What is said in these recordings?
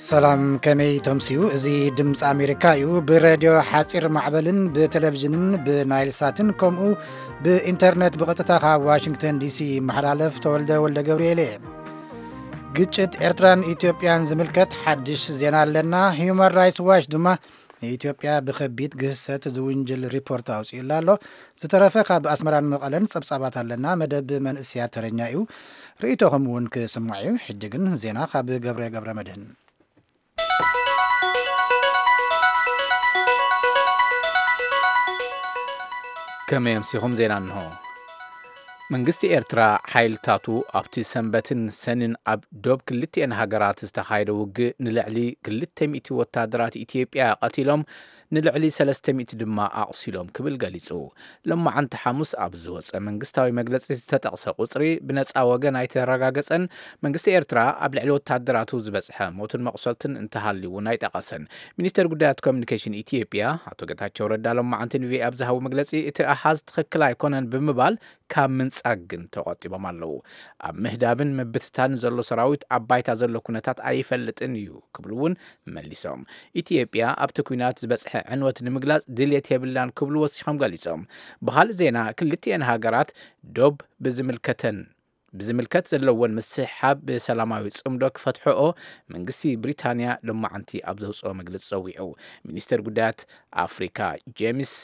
ሰላም፣ ከመይ ተምስዩ? እዚ ድምፂ ኣሜሪካ እዩ። ብሬድዮ ሓፂር ማዕበልን ብቴሌቪዥንን ብናይል ሳትን ከምኡ ብኢንተርኔት ብቐጥታ ካብ ዋሽንግተን ዲሲ ይመሓላለፍ። ተወልደ ወልደ ገብርኤል እየ። ግጭት ኤርትራን ኢትዮጵያን ዝምልከት ሓድሽ ዜና ኣለና። ሂዩማን ራይትስ ዋች ድማ ንኢትዮጵያ ብኸቢድ ግህሰት ዝውንጅል ሪፖርት ኣውፂኡላ ኣሎ። ዝተረፈ ካብ ኣስመራን መቐለን ጸብጻባት ኣለና። መደብ መንእስያ ተረኛ እዩ። ርእይቶኹም እውን ክስማዕ እዩ። ሕጂ ግን ዜና ካብ ገብረ ገብረ መድህን። ከመይ ኣምሲኹም? ዜና እንሆ። መንግስቲ ኤርትራ ሓይልታቱ ኣብቲ ሰንበትን ሰንን ኣብ ዶብ ክልቲኤን ሃገራት ዝተኻየደ ውግእ ንልዕሊ ክልተ ሚእቲ ወታደራት ኢትዮጵያ ቀቲሎም፣ ንልዕሊ ሰለስተ ሚእቲ ድማ ኣቑሲሎም ክብል ገሊጹ። ሎማዓንቲ ሓሙስ ኣብ ዝወጸ መንግስታዊ መግለጺ ዝተጠቕሰ ቁጽሪ ብነጻ ወገን ኣይተረጋገጸን። መንግስቲ ኤርትራ ኣብ ልዕሊ ወታደራቱ ዝበጽሐ ሞትን መቑሰልትን እንተሃልዩ እውን ኣይጠቐሰን። ሚኒስተር ጉዳያት ኮሚኒኬሽን ኢትዮጵያ ኣቶ ጌታቸው ረዳ ሎማዓንቲ ንቪኦኤ ኣብ ዝሃቦ መግለጺ፣ እቲ ኣሃዝ ትኽክል ኣይኮነን ብምባል፣ ካብ ምንጻግ ግን ተቖጢቦም ኣለዉ። ኣብ ምህዳብን ምብትታንን ዘሎ ሰራዊት ኣብ ባይታ ዘሎ ኩነታት ኣይፈልጥን እዩ ክብሉ እውን መሊሶም። ኢትዮጵያ ኣብቲ ኲናት ዝበጽሐ ዕንወት ንምግላጽ ድልየት የብላን ክብሉ ወሲኾም ገሊጾም። ብኻልእ ዜና፣ ክልቲኤን ሃገራት ዶብ ብዝምልከተን ብዝምልከት ዘለወን ምስሕሓብ ብሰላማዊ ጽምዶ ክፈትሕኦ መንግስቲ ብሪታንያ ሎማዓንቲ ኣብ ዘውጽኦ መግለጺ ጸዊዑ። ሚኒስተር ጉዳያት ኣፍሪካ ጄምስ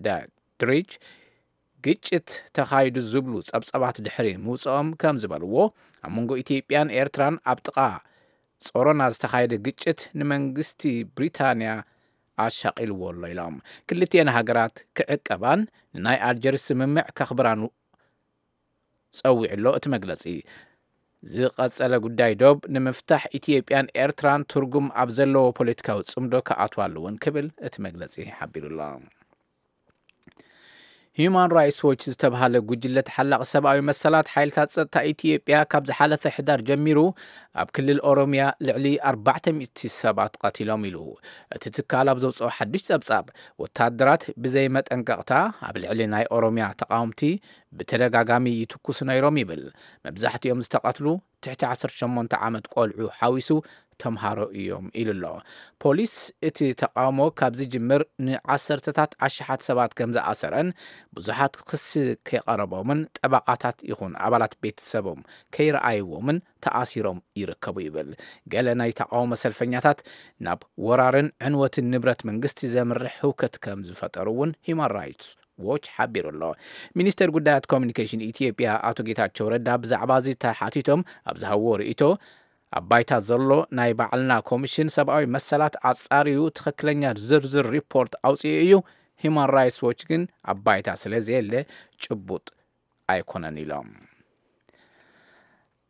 ዳድሪጅ ግጭት ተኻይዱ ዝብሉ ጸብጻባት ድሕሪ ምውጽኦም ከም ዝበልዎ፣ ኣብ መንጎ ኢትዮጵያን ኤርትራን ኣብ ጥቓ ጾሮና ዝተኻየደ ግጭት ንመንግስቲ ብሪታንያ ኣሻቒልዎ ኣሎ ኢሎም። ክልቲኤን ሃገራት ክዕቀባን ንናይ ኣልጀርስ ስምምዕ ከኽብራን ጸዊዑ ኣሎ እቲ መግለጺ። ዝቐጸለ ጉዳይ ዶብ ንምፍታሕ ኢትዮጵያን ኤርትራን ትርጉም ኣብ ዘለዎ ፖለቲካዊ ጽምዶ ክኣትዋ ኣለወን ክብል እቲ መግለጺ ሓቢሩ ኣሎ። ሂዩማን ራይትስ ዎች ዝተባሃለ ጉጅለ ተሓላቒ ሰብኣዊ መሰላት፣ ሓይልታት ጸጥታ ኢትዮጵያ ካብ ዝሓለፈ ሕዳር ጀሚሩ ኣብ ክልል ኦሮምያ ልዕሊ ኣርባዕተ ሚእቲ ሰባት ቀቲሎም ኢሉ። እቲ ትካል ኣብ ዘውጽኦ ሓድሽ ጸብጻብ፣ ወታደራት ብዘይ መጠንቀቕታ ኣብ ልዕሊ ናይ ኦሮምያ ተቓወምቲ ብተደጋጋሚ ይትኩሱ ነይሮም ይብል። መብዛሕትኦም ዝተቐትሉ ትሕቲ ዓሰርተ ሸሞንተ ዓመት ቆልዑ ሓዊሱ ተምሃሮ እዮም ኢሉ ኣሎ። ፖሊስ እቲ ተቃውሞ ካብ ዝጅምር ንዓሰርተታት ኣሽሓት ሰባት ከም ዝኣሰረን ብዙሓት ክሲ ከይቀረቦምን ጠበቓታት ይኹን ኣባላት ቤተሰቦም ከይረኣይዎምን ተኣሲሮም ይርከቡ ይብል። ገለ ናይ ተቃውሞ ሰልፈኛታት ናብ ወራርን ዕንወትን ንብረት መንግስቲ ዘምርሕ ህውከት ከም ዝፈጠሩ እውን ሂዩማን ራይትስ ዎች ሓቢሩ ኣሎ። ሚኒስተር ጉዳያት ኮሚኒኬሽን ኢትዮጵያ ኣቶ ጌታቸው ረዳ ብዛዕባ እዚ ተሓቲቶም ኣብ ዝሃብዎ ርእይቶ፣ ኣብ ባይታ ዘሎ ናይ ባዕልና ኮሚሽን ሰብኣዊ መሰላት ኣጻርዩ ትኽክለኛ ዝርዝር ሪፖርት ኣውጺኡ እዩ። ሂዩማን ራይትስ ዎች ግን ኣብ ባይታ ስለ ዘየለ ጭቡጥ ኣይኮነን ኢሎም።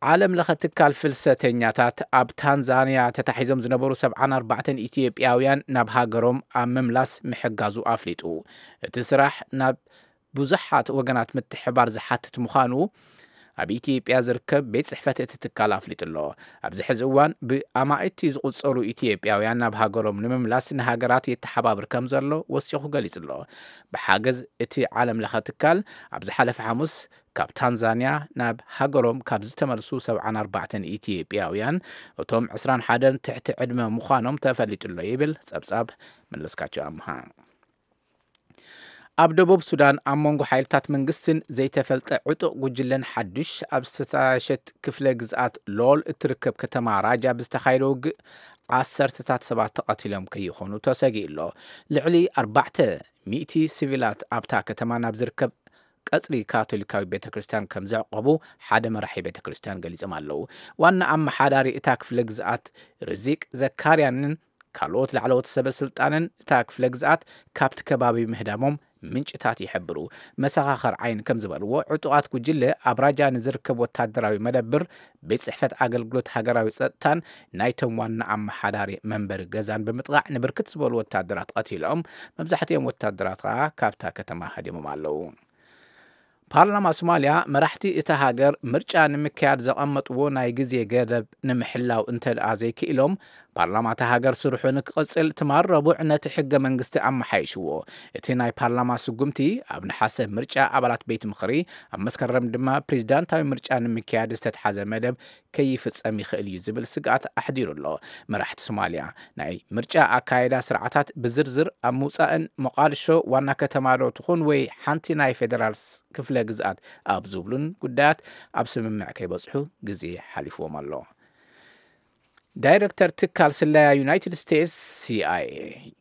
ዓለም ለኸ ትካል ፍልሰተኛታት ኣብ ታንዛንያ ተታሒዞም ዝነበሩ ሰብዓን ኣርባዕተን ኢትዮጵያውያን ናብ ሃገሮም ኣብ ምምላስ ምሕጋዙ ኣፍሊጡ። እቲ ስራሕ ናብ ብዙሓት ወገናት ምትሕባር ዝሓትት ምዃኑ ኣብ ኢትዮጵያ ዝርከብ ቤት ጽሕፈት እቲ ትካል ኣፍሊጡ ኣሎ። ኣብዚ ሕዚ እዋን ብኣማኢቲ ዝቑጸሩ ኢትዮጵያውያን ናብ ሃገሮም ንምምላስ ንሃገራት የተሓባብር ከም ዘሎ ወሲኹ ገሊጹ ኣሎ። ብሓገዝ እቲ ዓለም ለኸ ትካል ኣብ ዝሓለፈ ሓሙስ ካብ ታንዛንያ ናብ ሃገሮም ካብ ዝተመልሱ ሰብዓን ኣርባዕተን ኢትዮጵያውያን፣ እቶም ዕስራን ሓደን ትሕቲ ዕድመ ምዃኖም ተፈሊጡ ኣሎ ይብል ጸብጻብ መለስካቸው ኣምሃ። ኣብ ደቡብ ሱዳን ኣብ መንጎ ሓይልታት መንግስትን ዘይተፈልጠ ዕጡቕ ጉጅለን ሓዱሽ ኣብ ዝተጣየሸት ክፍለ ግዝኣት ሎል እትርከብ ከተማ ራጃ ብዝተኻየደ ውግእ ዓሰርተታት ሰባት ተቐቲሎም ከይኾኑ ተሰጊኡ ኣሎ። ልዕሊ ኣርባዕተ ሚእቲ ሲቪላት ኣብታ ከተማ ናብ ዝርከብ ቀጽሪ ካቶሊካዊ ቤተ ክርስቲያን ከም ዘዕቆቡ ሓደ መራሒ ቤተ ክርስቲያን ገሊጾም ኣለዉ። ዋና ኣመሓዳሪ እታ ክፍለ ግዝኣት ርዚቅ ዘካርያንን ካልኦት ላዕለዎት ሰበ ስልጣንን እታ ክፍለ ግዝኣት ካብቲ ከባቢ ምህዳሞም ምንጭታት ይሕብሩ። መሰኻኸር ዓይን ከም ዝበልዎ፣ ዕጡቓት ጉጅለ ኣብ ራጃ ንዝርከብ ወታደራዊ መደብር፣ ቤት ጽሕፈት ኣገልግሎት ሃገራዊ ጸጥታን ናይቶም ዋና ኣመሓዳሪ መንበሪ ገዛን ብምጥቓዕ ንብርክት ዝበሉ ወታደራት ቀቲሎም፣ መብዛሕትኦም ወታደራት ከኣ ካብታ ከተማ ሃዲሞም ኣለዉ። ፓርላማ ሶማልያ መራሕቲ እታ ሃገር ምርጫ ንምክያድ ዘቐመጥዎ ናይ ግዜ ገደብ ንምሕላው እንተ ደኣ ዘይክኢሎም፣ ፓርላማ እታ ሃገር ስርሑ ንክቕጽል ትማል ረቡዕ ነቲ ሕገ መንግስቲ ኣመሓይሽዎ። እቲ ናይ ፓርላማ ስጉምቲ ኣብ ነሓሰ ምርጫ ኣባላት ቤት ምኽሪ፣ ኣብ መስከረም ድማ ፕሬዚዳንታዊ ምርጫ ንምክያድ ዝተትሓዘ መደብ ከይፍጸም ይኽእል እዩ ዝብል ስግኣት ኣሕዲሩ ኣሎ። መራሕቲ ሶማልያ ናይ ምርጫ ኣካየዳ ስርዓታት ብዝርዝር ኣብ ምውጻእን ሞቓድሾ ዋና ከተማ ዶ ትኹን ወይ ሓንቲ ናይ ፌደራል ክፍለ ግዝኣት ኣብ ዝብሉን ጉዳያት ኣብ ስምምዕ ከይበጽሑ ግዜ ሓሊፍዎም ኣሎ። ዳይረክተር ትካል ስለያ ዩናይትድ ስቴትስ፣ ሲኣይኤ፣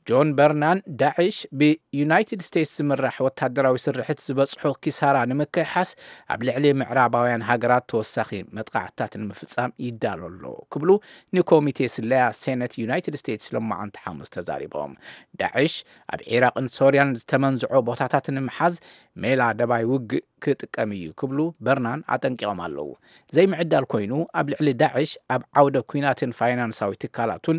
ጆን በርናን፣ ዳዕሽ ብዩናይትድ ስቴትስ ዝምራሕ ወታደራዊ ስርሕት ዝበጽሖ ኪሳራ ንምክሕሓስ ኣብ ልዕሊ ምዕራባውያን ሃገራት ተወሳኺ መጥቃዕትታት ንምፍጻም ይዳሎ ኣሎ ክብሉ ንኮሚቴ ስለያ ሴነት ዩናይትድ ስቴትስ ሎማዓንቲ ሓሙስ ተዛሪቦም። ዳዕሽ ኣብ ዒራቕን ሶርያን ዝተመንዝዖ ቦታታት ንምሓዝ ሜላ ደባይ ውግእ ክጥቀም እዩ ክብሉ በርናን ኣጠንቂቖም ኣለዉ። ዘይምዕዳል ኮይኑ ኣብ ልዕሊ ዳዕሽ ኣብ ዓውደ ኲናትን ፋይናንሳዊ ትካላቱን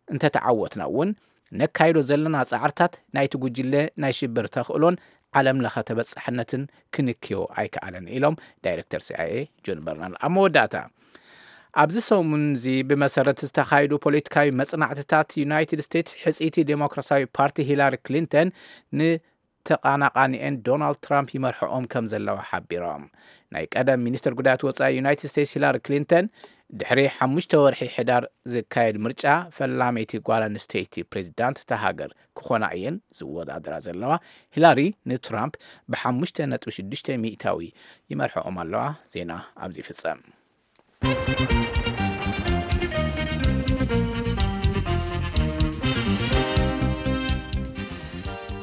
እንተተዓወትና እውን ነካይዶ ዘለና ጻዕርታት ናይቲ ጉጅለ ናይ ሽብር ተኽእሎን ዓለም ለኸ ተበጻሕነትን ክንክዮ ኣይከኣለን ኢሎም ዳይረክተር ሲኣይኤ ጆን በርናን። ኣብ መወዳእታ ኣብዚ ሰሙን እዚ ብመሰረት ዝተኻየዱ ፖለቲካዊ መጽናዕትታት ዩናይትድ ስቴትስ ሕጽይቲ ዴሞክራሲያዊ ፓርቲ ሂላሪ ክሊንተን ን ተቓናቓኒኤን ዶናልድ ትራምፕ ይመርሕኦም ከም ዘለዋ ሓቢሮም። ናይ ቀደም ሚኒስትር ጉዳያት ወጻኢ ዩናይትድ ስቴትስ ሂላሪ ክሊንተን ድሕሪ ሓሙሽተ ወርሒ ሕዳር ዝካየድ ምርጫ ፈላመይቲ ጓል ኣንስተይቲ ፕሬዚዳንት እታ ሃገር ክኾና እየን ዝወዳደራ ዘለዋ። ሂላሪ ንትራምፕ ብሓሙሽተ ነጥቢ ሽዱሽተ ሚእታዊ ይመርሕኦም ኣለዋ። ዜና ኣብዚ ይፍጸም።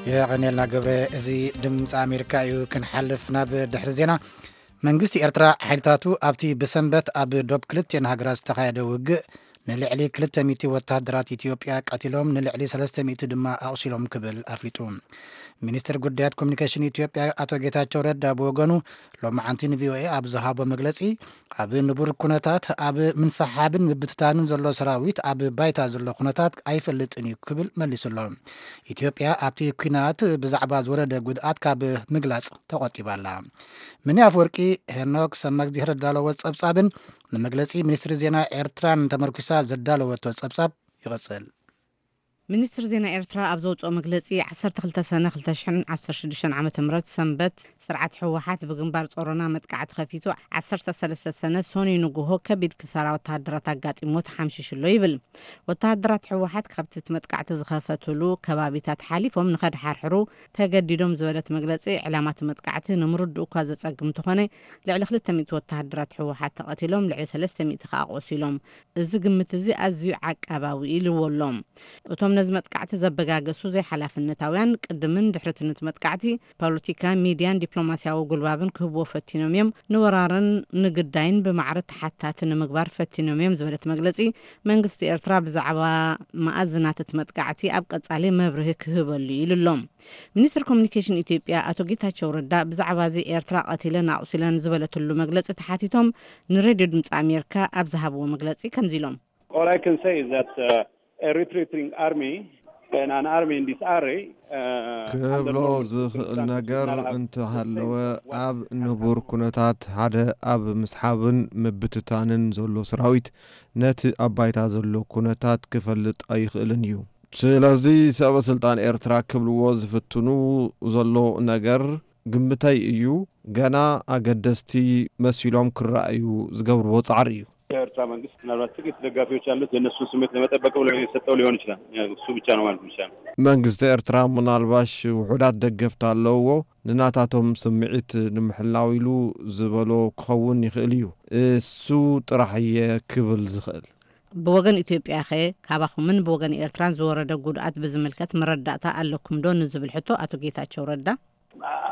የቐኔልና ገብረ። እዚ ድምፂ ኣሜሪካ እዩ። ክንሓልፍ ናብ ድሕሪ ዜና። መንግስቲ ኤርትራ ሓይልታቱ ኣብቲ ብሰንበት ኣብ ዶብ ክልቲኤን ሃገራት ዝተኻየደ ውግእ ንልዕሊ ክልተ ሚእቲ ወተሃደራት ኢትዮጵያ ቀቲሎም፣ ንልዕሊ ሰለስተ ሚእቲ ድማ ኣቑሲሎም ክብል ኣፍሊጡ። ሚኒስትር ጉዳያት ኮሚኒኬሽን ኢትዮጵያ ኣቶ ጌታቸው ረዳ ብወገኑ ሎማዓንቲ ንቪኦኤ ኣብ ዝሃቦ መግለጺ፣ ኣብ ንቡር ኩነታት ኣብ ምንስሓብን ምብትታንን ዘሎ ሰራዊት ኣብ ባይታ ዘሎ ኩነታት ኣይፈልጥን እዩ ክብል መሊሱ ኣሎ። ኢትዮጵያ ኣብቲ ኲናት ብዛዕባ ዝወረደ ጉድኣት ካብ ምግላጽ ተቖጢባ ኣላ። ምኒ ኣፍወርቂ ሄኖክ ሰማግዜር ዘዳለዎ ጸብጻብን ንመግለጺ ሚኒስትሪ ዜና ኤርትራን ተመርኩሳ ዘዳለወቶ ጸብጻብ ይቕጽል። ሚኒስትሪ ዜና ኤርትራ ኣብ ዘውጽኦ መግለጺ፣ ዓሰርተ ክልተ ሰነ ክልተ ሽሕን ዓሰርተ ሽዱሽተን ዓመተ ምህረት ሰንበት፣ ስርዓት ህወሓት ብግንባር ጾሮና መጥቃዕቲ ከፊቱ፣ ዓሰርተ ሰለስተ ሰነ ሰኑይ ንግሆ ከቢድ ክሳራ ወተሃደራት ኣጋጢሞ ተሓምሺሹ ኣሎ ይብል። ወተሃደራት ህወሓት ካብቲ እቲ መጥቃዕቲ ዝኸፈትሉ ከባቢታት ሓሊፎም ንኸድሓርሕሩ ተገዲዶም ዝበለት መግለጺ፣ ዕላማ እቲ መጥቃዕቲ ንምርድኡ እኳ ዘጸግም እንተኾነ፣ ልዕሊ ክልተ ሚእቲ ወተሃደራት ህወሓት ተቐቲሎም፣ ልዕሊ ሰለስተ ሚእቲ ከኣ ቆሲሎም። እዚ ግምት እዚ ኣዝዩ ዓቃባዊ ኢልዎ ኣሎ። እቶም ነዚ መጥቃዕቲ ዘበጋገሱ ዘይሓላፍነታውያን ቅድምን ድሕሪትን እቲ መጥቃዕቲ ፖለቲካ፣ ሚድያን ዲፕሎማስያዊ ጉልባብን ክህብዎ ፈቲኖም እዮም። ንወራርን ንግዳይን ብማዕረ ተሓታቲ ንምግባር ፈቲኖም እዮም ዝበለት መግለጺ፣ መንግስቲ ኤርትራ ብዛዕባ መኣዝናት እቲ መጥቃዕቲ ኣብ ቀጻሊ መብርሂ ክህበሉ ኢሉ ኣሎ። ሚኒስትር ኮሚኒኬሽን ኢትዮጵያ ኣቶ ጌታቸው ረዳ ብዛዕባ እዚ ኤርትራ ቀቲለን ኣቑሲለን ዝበለትሉ መግለጺ ተሓቲቶም ንሬድዮ ድምፂ ኣሜሪካ ኣብ ዝሃብዎ መግለጺ ከምዚ ኢሎም። All I can say is that uh, a retreating army and an army in disarray uh, under ክብሎ normal ዝኽእል circumstances ነገር not have እንተሃለወ፣ the same ኣብ ንቡር ኩነታት ሓደ ኣብ ምስሓብን ምብትታንን ዘሎ ሰራዊት ነቲ ኣብ ባይታ ዘሎ ኩነታት ክፈልጥ ኣይኽእልን እዩ። ስለዚ ሰበ ስልጣን ኤርትራ ክብልዎ ዝፍትኑ ዘሎ ነገር ግምተይ እዩ። ገና ኣገደስቲ መሲሎም ክረኣዩ ዝገብርዎ ጻዕሪ እዩ። የኤርትራ መንግስት ምናልባት ጥቂት ደጋፊዎች ያሉት የእነሱን ስሜት ለመጠበቅ ብሎ የሰጠው ሊሆን ይችላል። እሱ ብቻ ነው ማለት ይቻላል። መንግስቲ ኤርትራ ምናልባሽ ውሑዳት ደገፍቲ ኣለውዎ፣ ንናታቶም ስምዒት ንምሕላው ኢሉ ዝበሎ ክኸውን ይኽእል እዩ። እሱ ጥራሕ እየ ክብል ዝኽእል። ብወገን ኢትዮጵያ ኸ ካባኹምን ብወገን ኤርትራን ዝወረደ ጉድኣት ብዝምልከት መረዳእታ ኣለኩም ዶ ንዝብል ሕቶ ኣቶ ጌታቸው ረዳ፣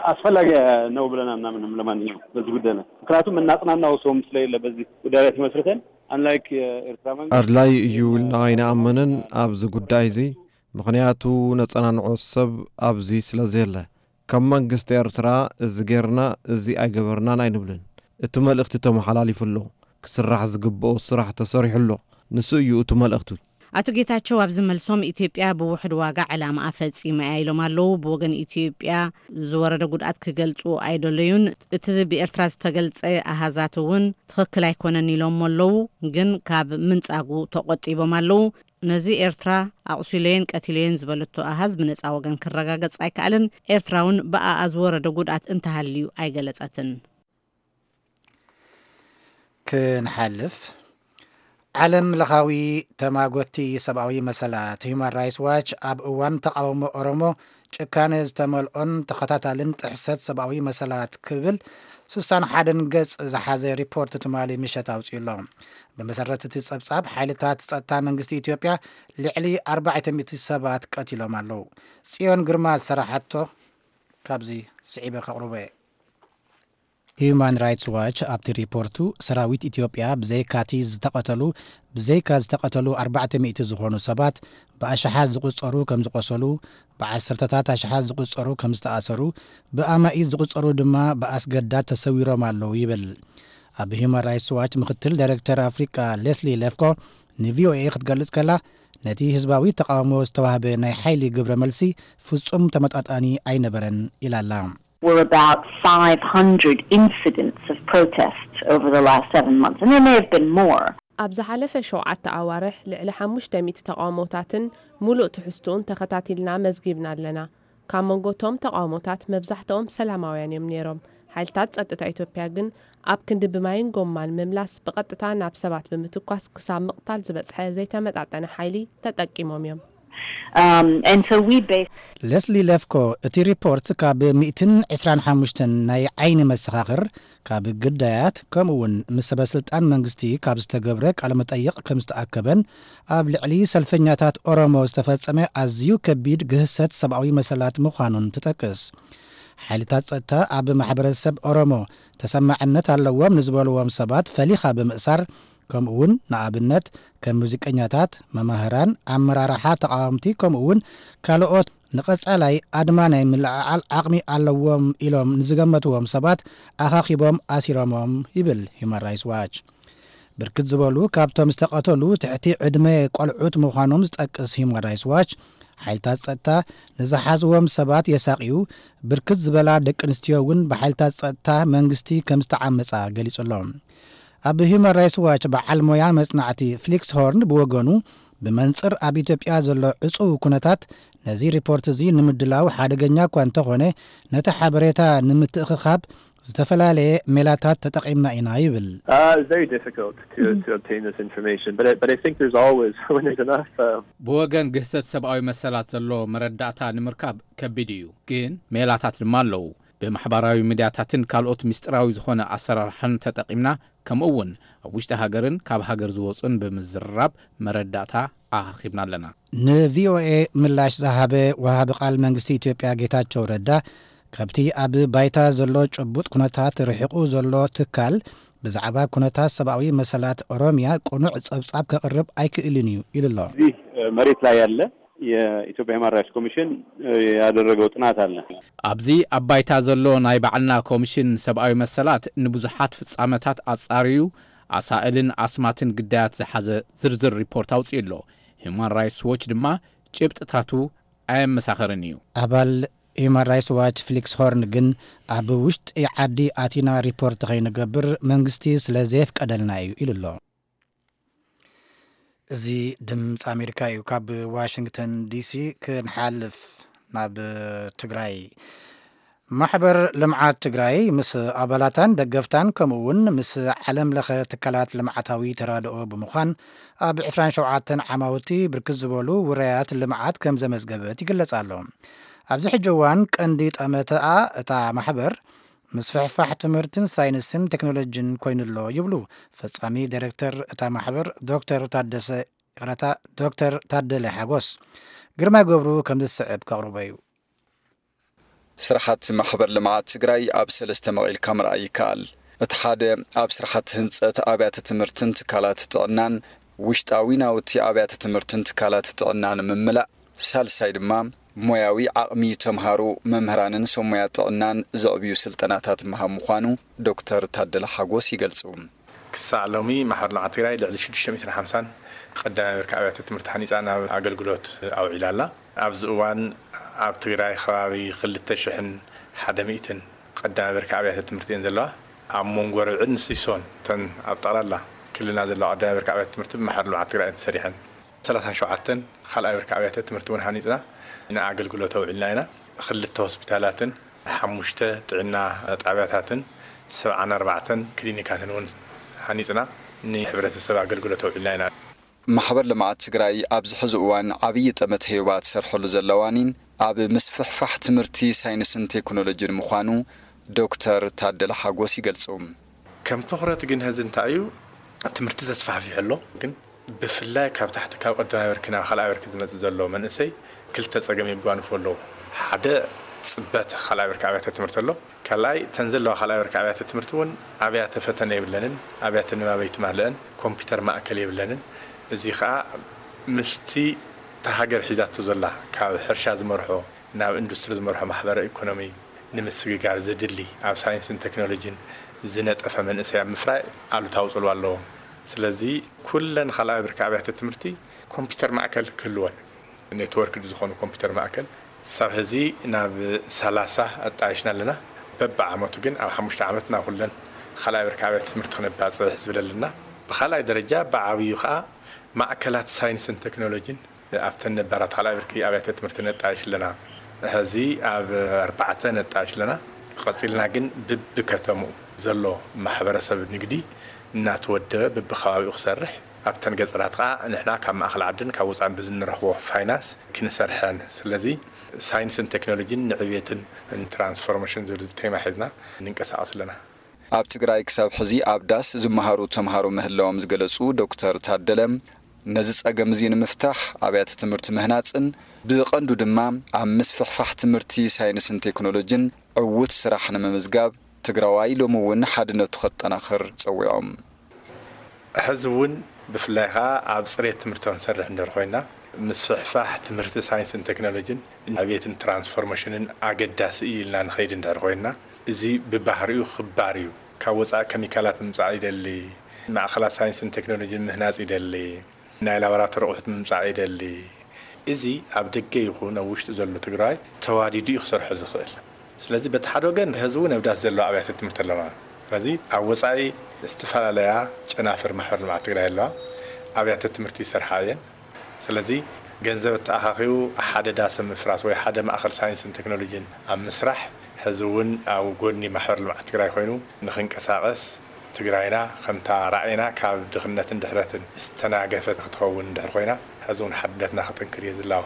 ኣስፈላጊ ነው ብለን አናምንም። ለማንኛውም በዚህ ጉዳይ ላይ ምክንያቱም እናጽናናው ሰውም ስለሌለ በዚህ ጉዳይ ላይ ተመስርተን unlike የኤርትራ መንግስት ኣድላይ እዩ ኢልና ኣይንኣምንን ኣብዚ ጉዳይ እዚ፣ ምኽንያቱ ነጸናንዖ ሰብ ኣብዚ ስለ ዘየለ። ከም መንግስቲ ኤርትራ እዚ ጌርና እዚ ኣይገበርናን ኣይንብልን። እቲ መልእኽቲ ተመሓላሊፉ ኣሎ። ክስራሕ ዝግብኦ ስራሕ ተሰሪሑ ኣሎ። ንሱ እዩ እቲ መልእኽቲ። ኣቶ ጌታቸው ኣብዚ መልሶም፣ ኢትዮጵያ ብውሑድ ዋጋ ዕላማኣ ፈጺማ እያ ኢሎም ኣለዉ። ብወገን ኢትዮጵያ ዝወረደ ጉድኣት ክገልጹ ኣይደለዩን። እቲ ብኤርትራ ዝተገልጸ ኣሃዛት እውን ትኽክል ኣይኮነን ኢሎም ኣለዉ፣ ግን ካብ ምንጻጉ ተቖጢቦም ኣለዉ። ነዚ ኤርትራ ኣቑሲለየን ቀቲለየን ዝበለቶ ኣሃዝ ብነጻ ወገን ክረጋገጽ ኣይከኣለን። ኤርትራ እውን ብኣኣ ዝወረደ ጉድኣት እንተሃልዩ ኣይገለጸትን። ክንሓልፍ፣ ዓለም ለኻዊ ተማጎቲ ሰብኣዊ መሰላት ሂዩማን ራይትስ ዋች ኣብ እዋን ተቓውሞ ኦሮሞ ጭካነ ዝተመልኦን ተኸታታልን ጥሕሰት ሰብኣዊ መሰላት ክብል ስሳን ሓደን ገጽ ዝሓዘ ሪፖርት ትማሊ ምሸት ኣውጺኡ ኣሎ። ብመሰረት እቲ ጸብጻብ፣ ሓይልታት ጸጥታ መንግስቲ ኢትዮጵያ ልዕሊ ኣርባዕተ ሚእቲ ሰባት ቀቲሎም ኣለዉ። ጽዮን ግርማ ዝሰራሓቶ ካብዚ ስዒበ ከቕርቦ እየ። ሂዩማን ራይትስ ዋች ኣብቲ ሪፖርቱ፣ ሰራዊት ኢትዮጵያ ብዘይካቲ ዝተቐተሉ ብዘይካ ዝተቐተሉ ኣርባዕተ ሚእቲ ዝኾኑ ሰባት፣ ብኣሽሓት ዝቑጸሩ ከም ዝቖሰሉ፣ ብዓሰርተታት ኣሽሓት ዝቑጸሩ ከም ዝተኣሰሩ፣ ብኣማኢት ዝቑጸሩ ድማ ብኣስገዳድ ተሰዊሮም ኣለዉ ይብል። ኣብ ሂዩማን ራይትስ ዋች ምክትል ዳይሬክተር ኣፍሪቃ ሌስሊ ሌፍኮ ንቪኦኤ ክትገልጽ ከላ፣ ነቲ ህዝባዊ ተቓውሞ ዝተዋህበ ናይ ሓይሊ ግብረ መልሲ ፍጹም ተመጣጣኒ ኣይነበረን ኢላ ኣላ። Were about five hundred incidents of protest over the last seven months, and there may have been more. ኣብ ዝሓለፈ ሸውዓተ ኣዋርሕ ልዕሊ ሓሙሽተ ሚእቲ ተቓውሞታትን ምሉእ ትሕዝትኡን ተኸታቲልና መዝጊብና ኣለና። ካብ መንጎ እቶም ተቓውሞታት መብዛሕትኦም ሰላማውያን እዮም ነይሮም። ሓይልታት ጸጥታ ኢትዮጵያ ግን ኣብ ክንዲ ብማይን ጎማን ምምላስ፣ ብቐጥታ ናብ ሰባት ብምትኳስ ክሳብ ምቕታል ዝበጽሐ ዘይተመጣጠነ ሓይሊ ተጠቂሞም እዮም። ሌስሊ ሌፍኮ፣ እቲ ሪፖርት ካብ ሚእትን ዕስራን ሓሙሽተን ናይ ዓይኒ መሰኻኽር፣ ካብ ግዳያት፣ ከምኡውን ምስ ሰበስልጣን መንግስቲ ካብ ዝተገብረ ቃለ መጠይቕ ከም ዝተኣከበን ኣብ ልዕሊ ሰልፈኛታት ኦሮሞ ዝተፈጸመ ኣዝዩ ከቢድ ግህሰት ሰብኣዊ መሰላት ምዃኑን ትጠቅስ። ሓይልታት ጸጥታ ኣብ ማሕበረሰብ ኦሮሞ ተሰማዕነት ኣለዎም ንዝበልዎም ሰባት ፈሊኻ ብምእሳር፣ ከምኡውን ንኣብነት ከም ሙዚቀኛታት፣ መማህራን፣ ኣመራርሓ ተቓወምቲ ከምኡውን ካልኦት ንቐጻላይ ኣድማ ናይ ምልዕዓል ዓቕሚ ኣለዎም ኢሎም ንዝገመትዎም ሰባት ኣኻኺቦም ኣሲሮሞም ይብል ሂዩማን ራይትስ ዋች። ብርክት ዝበሉ ካብቶም ዝተቐተሉ ትሕቲ ዕድመ ቆልዑት ምዃኖም ዝጠቅስ ሂዩማን ራይትስ ዋች፣ ሓይልታት ጸጥታ ንዝሓዝዎም ሰባት የሳቕዩ፣ ብርክት ዝበላ ደቂ ኣንስትዮ እውን ብሓይልታት ጸጥታ መንግስቲ ከም ዝተዓመጻ ገሊጹ ኣሎ። ኣብ ሂዩማን ራይትስ ዋች በዓል ሞያ መጽናዕቲ ፍሊክስ ሆርን ብወገኑ፣ ብመንጽር ኣብ ኢትዮጵያ ዘሎ ዕጹው ኩነታት ነዚ ሪፖርት እዚ ንምድላው ሓደገኛ እኳ እንተኾነ፣ ነቲ ሓበሬታ ንምትእኽኻብ ዝተፈላለየ ሜላታት ተጠቒምና ኢና ይብል። Uh, it's very difficult to, to obtain this information, but I, but I think there's always, when there's enough. Uh, ብወገን ግህሰት ሰብኣዊ መሰላት ዘሎ መረዳእታ ንምርካብ ከቢድ እዩ፣ ግን ሜላታት ድማ ኣለዉ። ብማሕበራዊ ሚድያታትን ካልኦት ምስጢራዊ ዝኾነ ኣሰራርሓን ተጠቒምና፣ ከምኡ እውን ኣብ ውሽጢ ሃገርን ካብ ሃገር ዝወፁን ብምዝርራብ መረዳእታ ኣኻኺብና ኣለና። ንቪኦኤ ምላሽ ዝሃበ ወሃቢ ቃል መንግስቲ ኢትዮጵያ ጌታቸው ረዳ፣ ካብቲ ኣብ ባይታ ዘሎ ጭቡጥ ኩነታት ርሒቑ ዘሎ ትካል ብዛዕባ ኩነታት ሰብኣዊ መሰላት ኦሮሚያ ቅኑዕ ጸብጻብ ከቕርብ ኣይክእልን እዩ ኢሉ ኣሎ። እዚህ መሬት ላይ ያለ የኢትዮጵያ ሂውማን ራይትስ ኮሚሽን ያደረገው ጥናት አለ። ኣብዚ ኣብ ባይታ ዘሎ ናይ ባዕልና ኮሚሽን ሰብኣዊ መሰላት ንብዙሓት ፍጻመታት ኣጻርዩ ኣሳእልን ኣስማትን ግዳያት ዝሓዘ ዝርዝር ሪፖርት ኣውጺኡ ኣሎ። ሂውማን ራይትስ ዎች ድማ ጭብጥታቱ ኣየመሳኸርን እዩ። ኣባል ሂውማን ራይትስ ዋች ፍሊክስ ሆርን ግን ኣብ ውሽጢ ዓዲ ኣቲና ሪፖርት ከይንገብር መንግስቲ ስለ ዘየፍቀደልና እዩ ኢሉ ኣሎ። እዚ ድምፂ ኣሜሪካ እዩ። ካብ ዋሽንግተን ዲሲ ክንሓልፍ ናብ ትግራይ። ማሕበር ልምዓት ትግራይ ምስ ኣባላታን ደገፍታን ከምኡ እውን ምስ ዓለም ለኸ ትካላት ልምዓታዊ ተራድኦ ብምዃን ኣብ ዕስራን ሸውዓተን ዓማውቲ ብርክት ዝበሉ ውራያት ልምዓት ከም ዘመዝገበት ይግለጽ ኣሎ። ኣብዚ ሕጂ እዋን ቀንዲ ጠመተኣ እታ ማሕበር ምስፍሕፋሕ ትምህርትን ሳይንስን ቴክኖሎጂን ኮይኑሎ ይብሉ ፈጻሚ ዳይሬክተር እታ ማሕበር ዶክተር ታደሰ ይቕረታ ዶክተር ታደለ ሓጎስ። ግርማይ ገብሩ ከም ዝስዕብ ከቕርቦ እዩ። ስራሓት ማሕበር ልምዓት ትግራይ ኣብ ሰለስተ መቒልካ ምርኣይ ይከኣል። እቲ ሓደ ኣብ ስራሓት ህንፀት ኣብያተ ትምህርትን ትካላት ጥዕናን ውሽጣዊ ናውቲ ኣብያተ ትምህርትን ትካላት ጥዕናን ምምላእ፣ ሳልሳይ ድማ ሞያዊ ዓቕሚ ተምሃሮ፣ መምህራንን ሰብ ሞያ ጥዕናን ዘዕብዩ ስልጠናታት ምሃብ ምዃኑ ዶክተር ታደለ ሓጎስ ይገልጹ። ክሳዕ ሎሚ ማሕበር ልምዓት ትግራይ ልዕሊ ሽዱሽተ ሚእትን ሓምሳን ቀዳማይ ብርኪ ኣብያተ ትምህርቲ ሃኒፃ ናብ ኣገልግሎት ኣውዒላ ኣላ። ኣብዚ እዋን ኣብ ትግራይ ከባቢ ክልተ ሽሕን ሓደ ሚእትን ቀዳማይ ብርኪ ኣብያተ ትምህርቲ እየን ዘለዋ። ኣብ መንጎ ርብዕን ሲሶን እተን ኣብ ጠቕላላ ክልልና ዘለዋ ቀዳማይ ብርኪ ኣብያተ ትምህርቲ ብማሕበር ልምዓት ትግራይ እየን ተሰሪሐን። ሰላሳን ሸውዓተን ካልኣይ ብርኪ ኣብያተ ትምህርቲ እውን ሃኒፅና ንኣገልግሎት ኣውዒልና ኢና። ክልተ ሆስፒታላትን ሓሙሽተ ጥዕና ጣብያታትን ሰብዓን ኣርባዕተን ክሊኒካትን እውን ሃኒፅና ንሕብረተሰብ ኣገልግሎት ኣውዒልና ኢና። ማሕበር ልምዓት ትግራይ ኣብዚ ሕዚ እዋን ዓብዪ ጠመተ ሄባ ትሰርሐሉ ዘለዋኒን ኣብ ምስፍሕፋሕ ትምህርቲ ሳይንስን ቴክኖሎጂን ምዃኑ ዶክተር ታደለ ሓጎስ ይገልጹ። ከም ትኹረት ግን ሕዚ እንታይ እዩ? ትምህርቲ ተስፋሕፊሑ ኣሎ፣ ግን ብፍላይ ካብ ታሕቲ ካብ ቀዳማይ ብርኪ ናብ ካልኣይ ብርኪ ዝመጽእ ዘሎ መንእሰይ ክልተ ጸገም የጓንፎ ኣለዉ። ሓደ ጽበት ካልኣይ ብርኪ ኣብያተ ትምህርቲ ኣሎ። ካልኣይ እተን ዘለዋ ካልኣይ ብርኪ ኣብያተ ትምህርቲ እውን ኣብያተ ፈተነ የብለንን፣ ኣብያተ ንባብ ኣይትማልአን፣ ኮምፒውተር ማእከል የብለንን። እዚ ኸኣ ምስቲ እታ ሃገር ሒዛቶ ዘላ ካብ ሕርሻ ዝመርሖ ናብ ኢንዱስትሪ ዝመርሖ ማሕበረ ኢኮኖሚ ንምስግጋር ዘድሊ ኣብ ሳይንስን ቴክኖሎጂን ዝነጠፈ መንእሰይ ኣብ ምፍራይ ኣሉታዊ ጽልዋ ኣለዎ። ስለዚ ኩለን ካልኣይ ብርኪ ኣብያተ ትምህርቲ ኮምፒውተር ማእከል ክህልወን፣ ኔትወርክ ዝኾኑ ኮምፒውተር ማእከል ሳብ ሕዚ ናብ ሰላሳ ኣጣይሽና ኣለና። በብዓመቱ ግን ኣብ ሓሙሽተ ዓመት ናብ ኩለን ካልኣይ ብርኪ ኣብያተ ትምህርቲ ክነባጽሕ ዝብል ኣለና። ብኻልኣይ ደረጃ ብዓብዩ ኸኣ ማእከላት ሳይንስን ቴክኖሎጂን ኣብተን ነባራት ካልኣይ ብርኪ ኣብያተ ትምህርቲ ነጣይሽ ኣለና። ሕዚ ኣብ ኣርባዕተ ነጣይሽ ኣለና። ቀጺልና ግን ብብከተምኡ ዘሎ ማሕበረሰብ ንግዲ እናተወደበ ብብኸባቢኡ ክሰርሕ፣ ኣብተን ገጠራት ኸዓ ንሕና ካብ ማእኸል ዓድን ካብ ወፃእን ብዝንረኽቦ ፋይናንስ ክንሰርሐን። ስለዚ ሳይንስን ቴክኖሎጂን ንዕብየትን ንትራንስፎርሜሽን ዝብል ቴማ ሒዝና ንንቀሳቐስ ኣለና። ኣብ ትግራይ ክሳብ ሕዚ ኣብ ዳስ ዝመሃሩ ተምሃሮ ምህላዎም ዝገለጹ ዶክተር ታደለ፣ ነዚ ጸገም እዚ ንምፍታሕ ኣብያተ ትምህርቲ ምህናጽን ብቐንዱ ድማ ኣብ ምስፍሕፋሕ ትምህርቲ ሳይንስን ቴክኖሎጂን ዕዉት ስራሕ ንምምዝጋብ ትግራዋይ ሎሚ እውን ሓድነቱ ከጠናኽር ጸዊዖም። ሕዚ እውን ብፍላይ ኸዓ ኣብ ጽሬት ትምህርቲ ክንሰርሕ እንድሕር ኮይና፣ ምስፍሕፋሕ ትምህርቲ ሳይንስን ቴክኖሎጂን ዕብየትን ትራንስፎርሜሽንን ኣገዳሲ እዩ ኢልና ንኸይድ እንድሕር ኮይና፣ እዚ ብባህሪኡ ክባር እዩ። ካብ ወፃኢ ኬሚካላት ምምፃእ ይደሊ፣ ማእኸላት ሳይንስን ቴክኖሎጂን ምህናፅ ይደሊ፣ ናይ ላቦራቶሪ ኣቑሑት ምምፃእ ይደሊ። እዚ ኣብ ደገ ይኹን ኣብ ውሽጢ ዘሎ ትግራይ ተዋዲዱ እዩ ክሰርሖ ዝኽእል። ስለዚ በቲ ሓደ ወገን ሕዚ እውን ኣብ ዳስ ዘለዋ ኣብያተ ትምህርቲ ኣለዋ። ስለዚ ኣብ ወፃኢ ዝተፈላለያ ጨናፍር ማሕበር ልምዓት ትግራይ ኣለዋ፣ ኣብያተ ትምህርቲ ይሰርሓ እየን። ስለዚ ገንዘብ ተኣኻኺቡ ሓደ ዳስ ኣብ ምፍራስ ወይ ሓደ ማእኸል ሳይንስን ቴክኖሎጂን ኣብ ምስራሕ ሕዚ እውን ኣብ ጎኒ ማሕበር ልምዓት ትግራይ ኮይኑ ንኽንቀሳቐስ ትግራይና ከምታ ራዕይና ካብ ድኽነትን ድሕረትን ዝተናገፈት ክትኸውን እንድሕር ኮይና ሕዚ እውን ሓድነትና ክጥንክር እየ ዝላቦ።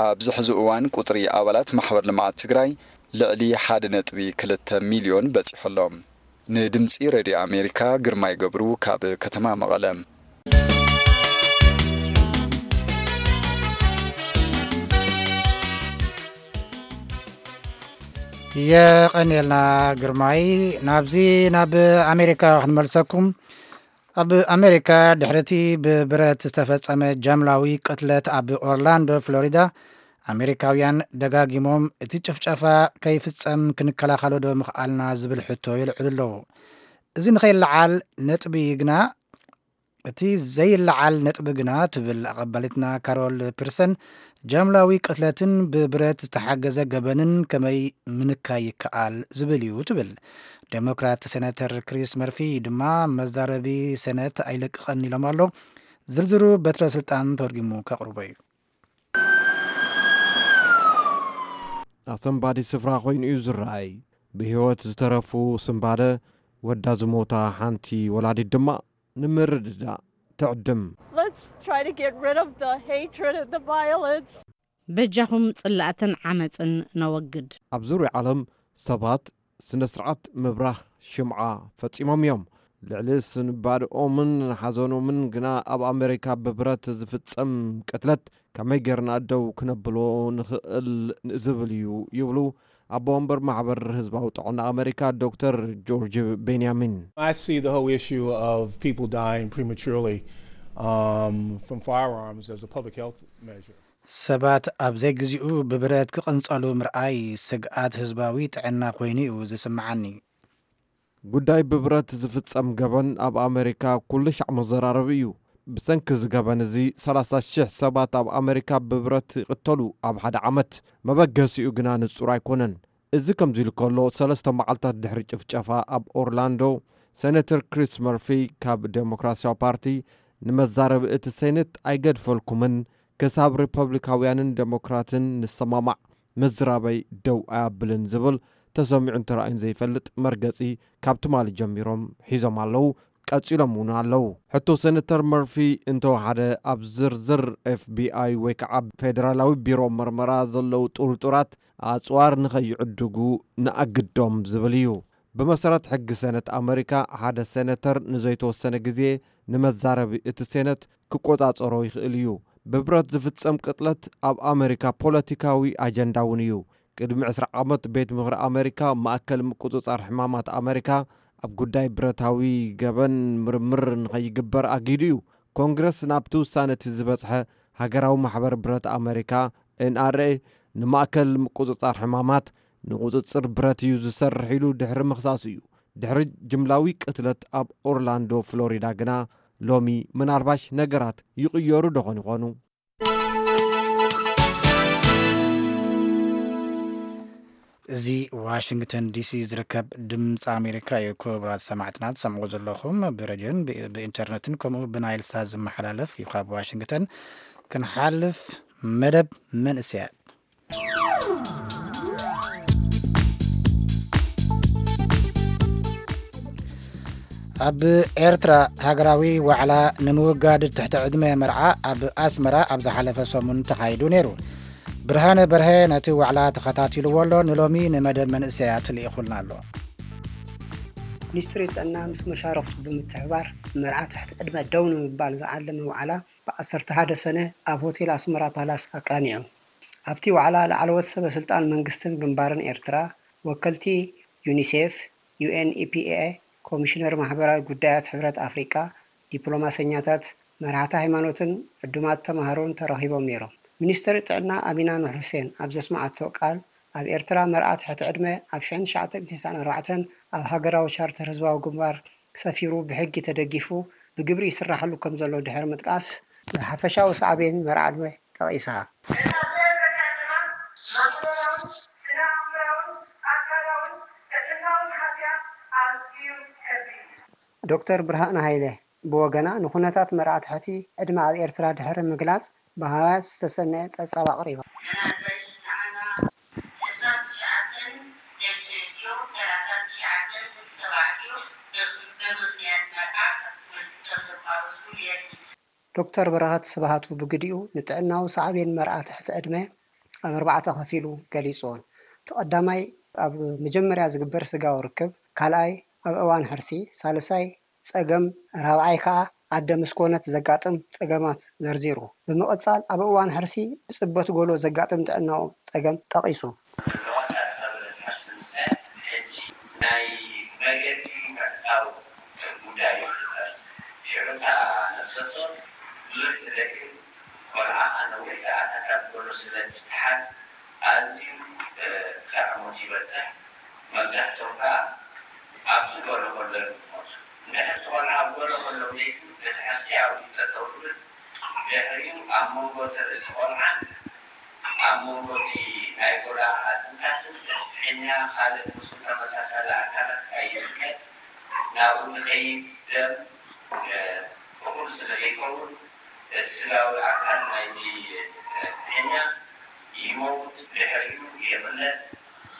ኣብዚ ሕዚ እዋን ቁፅሪ ኣባላት ማሕበር ልምዓት ትግራይ ልዕሊ ሓደ ነጥቢ ክልተ ሚልዮን በፂሑ ኣሎ። ንድምፂ ሬድዮ ኣሜሪካ ግርማይ ገብሩ ካብ ከተማ መቐለ። የቐንየልና ግርማይ። ናብዚ ናብ ኣሜሪካ ክንመልሰኩም። ኣብ ኣሜሪካ ድሕሪ እቲ ብብረት ዝተፈጸመ ጃምላዊ ቅትለት ኣብ ኦርላንዶ ፍሎሪዳ፣ ኣሜሪካውያን ደጋጊሞም እቲ ጭፍጨፋ ከይፍጸም ክንከላኸሎ ዶ ምኽኣልና ዝብል ሕቶ የልዕሉ ኣለዉ። እዚ ንኸይለዓል ነጥቢ ግና እቲ ዘይለዓል ነጥቢ ግና ትብል ኣቐባሊትና ካሮል ፒርሰን፣ ጃምላዊ ቅትለትን ብብረት ዝተሓገዘ ገበንን ከመይ ምንካይ ይከኣል ዝብል እዩ ትብል። ዴሞክራት ሴናተር ክሪስ መርፊ ድማ መዛረቢ ሴነት ኣይለቅቐን ኢሎም ኣሎ። ዝርዝሩ በትረ ስልጣን ተርጊሙ ከቕርቦ እዩ። ኣሰንባዲ ስፍራ ኮይኑ እዩ ዝረኣይ። ብህይወት ዝተረፉ ስንባደ፣ ወዳ ዝሞታ ሓንቲ ወላዲት ድማ ንምርድዳእ ትዕድም። Let's try to get rid of the hatred and the violence. በጃኹም ጽላእትን ዓመጽን ነወግድ። ኣብ ዙርያ ዓለም ሰባት ስነ ስርዓት ምብራኽ ሽምዓ ፈጺሞም እዮም። ልዕሊ ስንባድኦምን ሓዘኖምን ግና ኣብ ኣሜሪካ ብብረት ዝፍጸም ቅትለት ከመይ ጌርና ደው ክነብሎ ንኽእል ዝብል እዩ ይብሉ ኣቦ ወንበር ማሕበር ህዝባዊ ጥዕና ኣሜሪካ ዶክተር ጆርጅ ቤንያሚን። I see the whole issue of people dying prematurely um, from firearms as a public health measure. ሰባት ኣብ ዘይግዚኡ ብብረት ክቕንጸሉ ምርኣይ ስግኣት ህዝባዊ ጥዕና ኮይኑ እዩ ዝስምዓኒ። ጉዳይ ብብረት ዝፍጸም ገበን ኣብ ኣሜሪካ ኩሉ ሻዕ መዘራረቢ እዩ። ብሰንኪ እዚ ገበን እዚ ሰላሳ ሽሕ ሰባት ኣብ ኣሜሪካ ብብረት ይቕተሉ ኣብ ሓደ ዓመት። መበገሲኡ ግና ንጹር ኣይኮነን። እዚ ከምዚ ኢሉ ከሎ፣ ሰለስተ መዓልታት ድሕሪ ጭፍጨፋ ኣብ ኦርላንዶ፣ ሴኔተር ክሪስ መርፊ ካብ ዴሞክራሲያዊ ፓርቲ ንመዛረቢ እቲ ሴኔት ኣይገድፈልኩምን፣ ክሳብ ሪፐብሊካውያንን ዴሞክራትን ንሰማማዕ ምዝራበይ ደው ኣያብልን ዝብል ተሰሚዑን ተራእዩን ዘይፈልጥ መርገጺ ካብ ትማሊ ጀሚሮም ሒዞም ኣለዉ። ቀጺሎም እውን ኣለዉ። ሕቶ ሴነተር መርፊ እንተወሓደ ኣብ ዝርዝር ኤፍ ቢ ኣይ ወይ ከዓ ፌደራላዊ ቢሮ መርመራ ዘለዉ ጥርጡራት ኣጽዋር ንኸይዕድጉ ንኣግዶም ዝብል እዩ። ብመሰረት ሕጊ ሴነት ኣመሪካ ሓደ ሴነተር ንዘይተወሰነ ግዜ ንመዛረቢ እቲ ሴነት ክቆጻጸሮ ይኽእል እዩ። ብብረት ዝፍጸም ቅጥለት ኣብ ኣመሪካ ፖለቲካዊ ኣጀንዳ እውን እዩ። ቅድሚ ዕስራ ዓመት ቤት ምኽሪ ኣመሪካ ማእከል ምቁጽጻር ሕማማት ኣመሪካ ኣብ ጉዳይ ብረታዊ ገበን ምርምር ንኸይግበር ኣጊዱ እዩ። ኮንግረስ ናብቲ ውሳነ እቲ ዝበጽሐ ሃገራዊ ማሕበር ብረት ኣመሪካ ኤን ኣር ኤ ንማእከል ምቁጽጻር ሕማማት ንቁጽጽር ብረት እዩ ዝሰርሕ ኢሉ ድሕሪ ምኽሳሱ እዩ። ድሕሪ ጅምላዊ ቅትለት ኣብ ኦርላንዶ ፍሎሪዳ ግና ሎሚ ምናልባሽ ነገራት ይቕየሩ ዶኾን ይኾኑ? እዚ ዋሽንግተን ዲሲ ዝርከብ ድምፂ ኣሜሪካ እዩ። ክቡራት ሰማዕትና ትሰምዑ ዘለኹም ብሬድዮን ብ- ብኢንተርነትን ከምኡ ብናይል ሳት ዝመሓላለፍ እዩ። ካብ ዋሽንግተን ክንሓልፍ መደብ መንእሰያት። ኣብ ኤርትራ ሃገራዊ ዋዕላ ንምውጋድ ትሕቲ ዕድመ መርዓ ኣብ ኣስመራ ኣብ ዝሓለፈ ሰሙን ተኻይዱ ነይሩ። ብርሃነ በርሀ ነቲ ዋዕላ ተኸታቲልዎ ኣሎ፣ ንሎሚ ንመደብ መንእሰያት ልኢኹልና ኣሎ። ሚኒስትሪ ጥዕና ምስ መሻርኽቱ ብምትሕብባር ንመርዓ ትሕቲ ዕድመ ደው ንምባል ዝዓለመ ዋዕላ ብ ዓሰርተ ሓደ ሰነ ኣብ ሆቴል ኣስመራ ፓላስ ኣቃኒዑ። ኣብቲ ዋዕላ ላዕለዎት ሰበ ስልጣን መንግስትን ግንባርን ኤርትራ፣ ወከልቲ ዩኒሴፍ፣ ዩ ኤን ኢ ፒ ኤ፣ ኮሚሽነር ማሕበራዊ ጉዳያት ሕብረት ኣፍሪቃ፣ ዲፕሎማሰኛታት፣ መራሕቲ ሃይማኖትን ዕዱማት ተማሃሮን ተረኺቦም ነይሮም። ሚኒስትር ጥዕና ኣሚና ኑር ሁሴን ኣብ ዘስመዓቶ ቃል፣ ኣብ ኤርትራ መርዓ ትሕቲ ዕድመ ኣብ ሽሕን ትሽዓተ ሚእትን ተስዓን ኣርባዕተን ኣብ ሃገራዊ ቻርተር ህዝባዊ ግንባር ሰፊሩ ብሕጊ ተደጊፉ ብግብሪ ይስራሓሉ ከም ዘሎ ድሕሪ ምጥቃስ፣ ንሓፈሻዊ ሳዕቤን መርዓ ዕድመ ጠቒሳ። ዶክተር ብርሃነ ሃይለ ብወገና፣ ንኹነታት መርዓ ትሕቲ ዕድመ ኣብ ኤርትራ ድሕሪ ምግላጽ፣ ብሃዋስ ዝተሰነየ ጸብጻብ ኣቕሪባ። ዶክተር በረኸት ስብሃቱ ብግዲኡ፣ ንጥዕናዊ ሳዕቤን መርዓ ትሕቲ ዕድመ ኣብ ኣርባዕተ ከፊሉ ገሊጽዎን። እቲ ቀዳማይ ኣብ መጀመርያ ዝግበር ስጋዊ ርክብ፣ ካልኣይ ኣብ እዋን ሕርሲ፣ ሳልሳይ ጸገም፣ ራብዓይ ከኣ ኣደ ምስ ኮነት ዘጋጥም ጸገማት ዘርዚሩ። ብምቕጻል ኣብ እዋን ሕርሲ ብጽበት ጎሎ ዘጋጥም ጥዕናዊ ጸገም ጠቒሱ። ብቐጻሊ ከብረት ሕርሲ ምስታይ ሕጂ ናይ መገዲ ምዕጻው ጉዳይ እዩ ዝፍጠር። ሽዑ እታ ነፍሰ ጡር ብዙሕ ትደክም፣ ቆልዓ ከኣ ነዊሕ ሰዓታት ኣብ ጎሎ ስለ እትተሓዝ ኣዝዩ ክሳዕ ሞት ይበጽሕ። መብዛሕትኦም ከኣ ኣብቲ ጎሎ ከሎ እዮም ዝሞቱ። እንድሕር እቲ ቆልዓ ኣብ ጎሎ ከሎ ሞይቱ፣ እቲ ሕርሲ ኣብኡ እዩ ጠጠው ዝብል። ድሕሪኡ ኣብ መንጎ እቲ ርእሲ ቆልዓን ኣብ መንጎ እቲ ናይ ጎላ ኣጽምታትን እቲ ፍሕኛ ካልእ ምስኡ ተመሳሳሊ ኣካላት ኣይዝልቀን። ናብኡ ንኸይድ ደም እኹል ስለ ዘይከውን፣ እቲ ስጋዊ ኣካል ናይቲ ፍሕኛ ይመውት፣ ድሕሪኡ ይቕለል።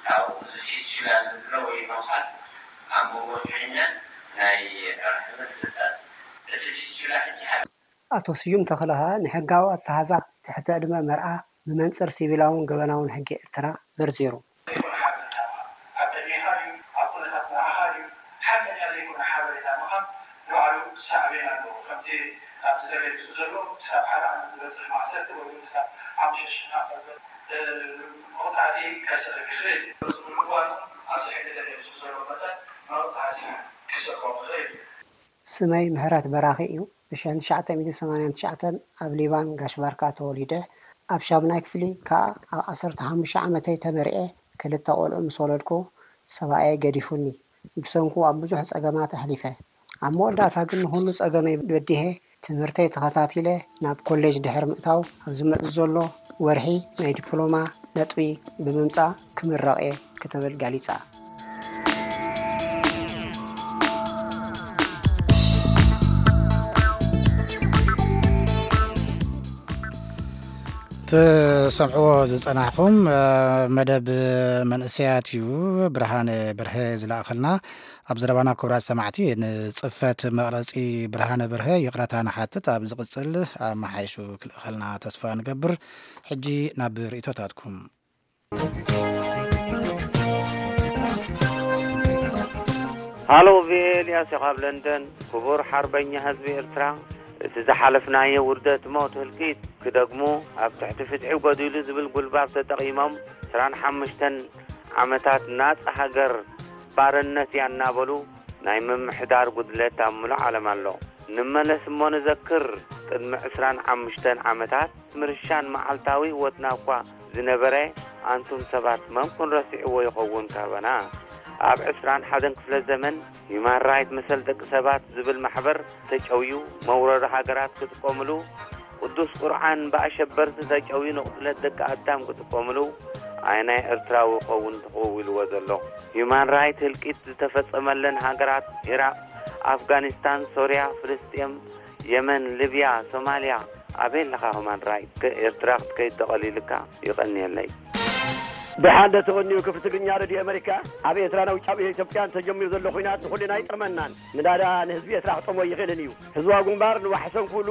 ካብኡ እዚ ፊስቹላ እንብሎ ወይ ነዃል ኣብ መንጎ ፍሕኛን ናይ ራሕምን ይፍጠር። እቲ ፊስቹላ ሕጂ ሓደ። ኣቶ ስዩም ተኽለ ከኣ ንሕጋዊ ኣተሓዛ ትሕቲ ዕድመ መርዓ ብመንጽር ሲቪላውን ገበናውን ሕጊ ኤርትራ ዘርዚሩ። ዘይኮነ ሓበሬታ ምሃብ። ኣብ ቅድሜኻ ድዩ? ኣብ ኩነታት መርዓኻ ድዩ? ሓቀኛ ዘይኮነ ሓበሬታ ምሃብ ንባዕሉ ሳዕቤን ኣለዎ። ከምቲ ኣብቲ ተገሊጹ ዘሎ፣ ክሳብ ሓደ ዓመት ዝበጽሕ ማእሰርቲ ወይ እውን ክሳብ ሓሙሽተ ሽሕ ናቕፋ ዝበጽሕ፣ እ፣ መቕጻዕቲ ከስዕብ ይኽእል እዩ። እዚ ብምግባሩ ኣብዚ ሕጊ ተገሊጹ ዘሎ መጠን መቕጻዕቲ ክስዕቦም ይኽእል እዩ። ስመይ ምሕረት በራኺ እዩ። ብሽሕን ትሽዓተ ሚእትን ሰማንያን ትሽዓተን ኣብ ሊባን ጋሽ ባርካ ተወሊደ። ኣብ ሻሙናይ ክፍሊ ከኣ ኣብ ዓሰርተ ሓሙሽተ ዓመተይ ተመርዕየ። ክልተ ቆልዑ ምስ ወለድኩ ሰብኣየይ ገዲፉኒ። ብሰንኩ ኣብ ብዙሕ ጸገማት ኣሕሊፈ። ኣብ መወዳእታ ግን ንኹሉ ጸገመይ በዲሀ ትምህርተይ ተኸታቲለ ናብ ኮሌጅ ድሕሪ ምእታው ኣብ ዝመጽእ ዘሎ ወርሒ ናይ ዲፕሎማ ነጥቢ ብምምጻእ ክምረቕ እየ ክትብል ገሊጻ። ትሰምዕዎ ዝጸናሕኹም፣ እ፣ መደብ መንእሰያት እዩ። ብርሃነ በርሀ ዝለኣኸልና ኣብ ዘረባና። ክቡራት ሰማዕቲ፣ ንጽፈት መቕረጺ ብርሃነ በርሀ ይቕረታ ንሓትት። ኣብ ዝቕጽል ኣመሓይሹ ክልእኸልና ተስፋ ንገብር። ሕጂ ናብ ርእይቶታትኩም። ሃሎ፣ ቪኦኤ፣ ኤልያስ ካብ ለንደን። ክቡር ሓርበኛ ህዝቢ ኤርትራ፣ እቲ ዝሓለፍናዮ ውርደት፣ ሞት፣ ህልቂት ክደግሙ፣ ኣብ ትሕቲ ፍትሒ ጎዲሉ ዝብል ጉልባብ ተጠቒሞም፣ ዕስራን ሓሙሽተን ዓመታት ናጻ ሃገር ባርነት እያ እናበሉ ናይ ምምሕዳር ጉድለት ኣብ ምሉእ ዓለም ኣሎ። ንመለስ እሞ ንዘክር፣ ቅድሚ ዕስራን ሓሙሽተን ዓመታት ምርሻን መዓልታዊ ህይወትና እኳ ዝነበረ፣ ኣንቱም ሰባት መን ኩን ረሲዕዎ ይኸውን ካባና? ኣብ ዕስራን ሓደን ክፍለ ዘመን ሂዩማን ራይት መሰል ደቂ ሰባት ዝብል ማሕበር ተጨውዩ፣ መውረሪ ሃገራት ክጥቀምሉ፣ ቅዱስ ቁርዓን ብኣሸበርቲ ተጨውዩ ንቕትለት ደቂ ኣዳም ክጥቀምሉ፣ ኣየናይ ኤርትራዊ ይኸውን ተኸዊልዎ ዘሎ? ሂዩማን ራይት ህልቂት ዝተፈጸመለን ሃገራት ኢራቕ፣ ኣፍጋኒስታን፣ ሶርያ፣ ፍልስጤም፣ የመን፣ ሊብያ፣ ሶማልያ፣ ኣበይ ኣለኻ ሂዩማን ራይት? ከ-፣ ኤርትራ ክትከይድ ተቐሊልካ? ይቐንየለይ። ደሓን ዶ ተቐንዩ ክፍሊ ትግርኛ ሬድዮ ኣመሪካ? ኣብ ኤርትራን ኣብ ውጫዊ ኢትዮጵያን ተጀሚሩ ዘሎ ኹናት ንኹልና ኣይጠቕመናን። ምናዳ ንህዝቢ ኤርትራ ክጠቕሞ ኣይኽእልን እዩ። ህዝባዊ ግንባር ንዋሕሶም ክብሉ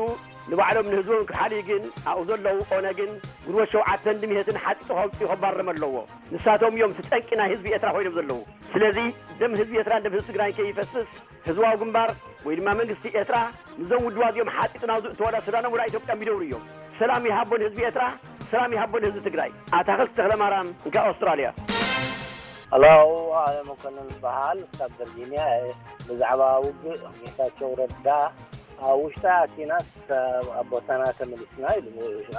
ንባዕሎም ንህዝቦም ክሓልዩ ግን ኣብኡ ዘለዉ ኦነግን ግንቦት ሸውዓተን ድምሄትን ሓጢጡ ከውፅኡ ከባረም ኣለዎ። ንሳቶም እዮም እቲ ጠንቂ ናይ ህዝቢ ኤርትራ ኮይኖም ዘለዉ። ስለዚ ደም ህዝቢ ኤርትራን ደም ህዝቢ ትግራይን ከይፈስስ ህዝባዊ ግንባር ወይ ድማ መንግስቲ ኤርትራ ምስዞም ውድባት እዚኦም ሓጢጡ ናብ ዝእተወላ ሱዳኖም ወላ ኢትዮጵያ ይደውሩ እዮም። ሰላም ይሃቦ ንህዝቢ ኤርትራ፣ ሰላም ይሃቦ ንህዝቢ ትግራይ። ኣታኽልቲ ተኽለማርያም፣ እንካ ኣውስትራልያ። ኣላው ኣለ መኮንን በሃል ካብ ቨርጂኒያ እየ። ብዛዕባ ውግእ ጌታቸው ረዳ ኣብ ውሽጢ ኣቲናስ ኣብ ቦታና ተመሊስና ኢሉ።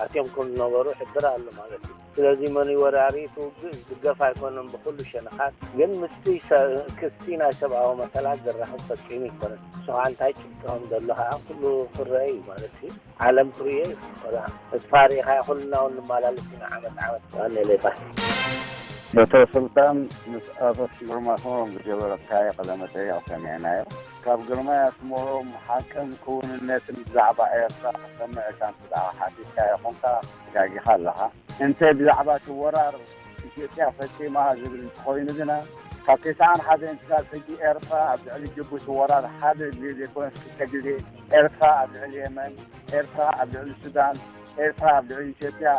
ኣትዮም ከም ዝነበሩ ይሕብር ኣሎ ማለት እዩ። ስለዚ መን እዩ ወራሪ እቲ ውግእ ዝድገፍ ኣይኮነን ብኩሉ ሸነኻት። ግን ምስቲ ሰ-፣ ክስቲ ናይ ሰብኣዊ መሰላት ዘራኽብ ፈጺሙ ኣይኮነን። ንሱ ከዓ እንታይ ጭብጢ ከም ዘሎ ከዓ ኩሉ ክረአ እዩ ማለት እዩ። ዓለም ክርእዮ እዩ። ቆልዓ ተስፋ ርኢኻ ኩልና እውን ንመላለስ ኢና ዓመት ዓመት። ዋኔ ሌባ። ዶክተር ስልጣን ምስ ኣቶ ግርማ ስመሮም ዝገበረካዮ ቃለ መጠይቕ ሰሚዕናዮ። ካብ ግርማይ ኣስመሮም ሓቅን ክውንነትን ብዛዕባ ኤርትራ ክሰምዕ እካ እንተ ደኣ ሓቲትካዮ ኾንካ ተጋጊኻ ኣለኻ። እንተ ብዛዕባ እቲ ወራር ኢትዮጵያ ፈጺማ ዝብል እንተኾይኑ ግና፣ ካብ ተስዓን ሓደን ክሳብ ሕጂ ኤርትራ ኣብ ልዕሊ ጅቡቲ ወራር ሓደ ግዜ ዘይኮነስ ክልተ ግዜ፣ ኤርትራ ኣብ ልዕሊ የመን፣ ኤርትራ ኣብ ልዕሊ ሱዳን፣ ኤርትራ ኣብ ልዕሊ ኢትዮጵያ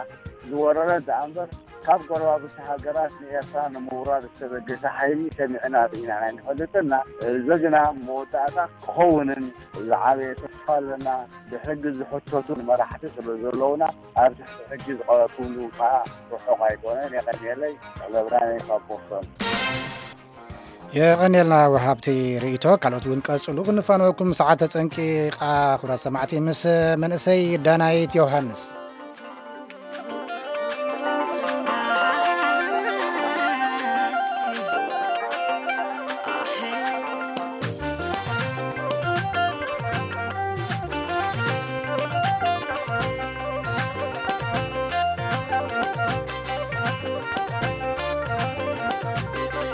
ዝወረረት ደኣ እምበር፣ ካብ ጎረባብቲ ሃገራት ንኤርትራ ንምውራር ዝተበገሰ ሓይሊ ሰሚዕና ርኢና ኣይንፈልጥን ኢና። እዚ ግና መወዳእታ ክኸውንን ዝዓበየ ተስፋ ኣለና። ብሕጊ ዝሕተቱ መራሕቲ ስለ ዘለዉና፣ ኣብ ትሕቲ ሕጊ ዝቐረብኩምሉ ከዓ ርሑቕ ኣይኮነን። የቐንየለይ። ገብራነይ ካብ ቦስቶን። የቐንየልና ወሃብቲ ርእይቶ። ካልኦት እውን ቀጽሉ። ክንፋነወኩም፣ ሰዓት ተጸንቂቓ። ክቡራት ሰማዕቲ፣ ምስ መንእሰይ ዳናይት ዮሃንስ።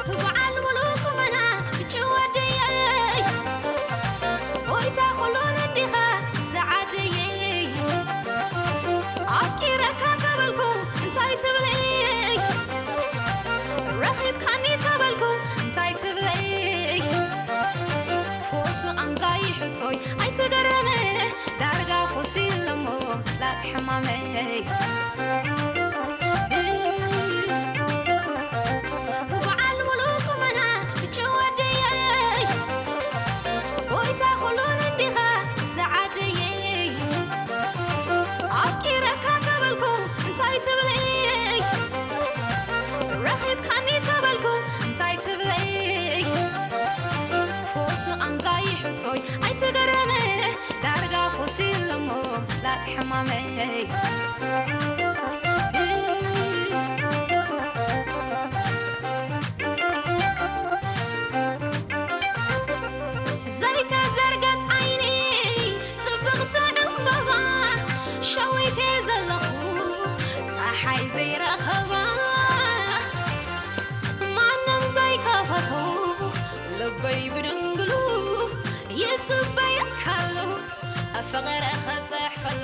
በዓል ሙሉእ ቁመና ብጭወደየይ፣ ጎይታ ኩሉን እንዲኻ ሰዓደየይ። ኣፍቂረካ ተበልኩ እንታይ ትብለይ? ረኺብካኒ ተበልኩ እንታይ ትብለይ? ፎስ ቃንዛይ ሕቶይ ኣይትገረመ፣ ዳርጋ ፎስ የለሞ ላቲ ሕማመይ። በዓል ሙሉእ ቁመና ብጭወደየይ፣ ጎይታ ኩሉን እንዲኻ ሰዓደየይ። ኣፍቂረካ ተበልኩ እንታይ ትብለይ? ረኺብካኒ ተበልኩ እንታይ ትብለይ? ፎስ ቃንዛይ ሕቶይ ኣይትገረመ፣ ዳርጋ ፎስ የለሞ ላቲ ሕማመይ። ዘይተዘርገት ዓይኒ ጽብቕቲ ዕምበባ ሸዊተ ዘለኹ ጸሓይ ዘይረኸባ ማንም ዘይከፈቶ ልበይ ብድንግሉ ይጽበየካሉ ፍቕሪ ክጽሕፈሉ።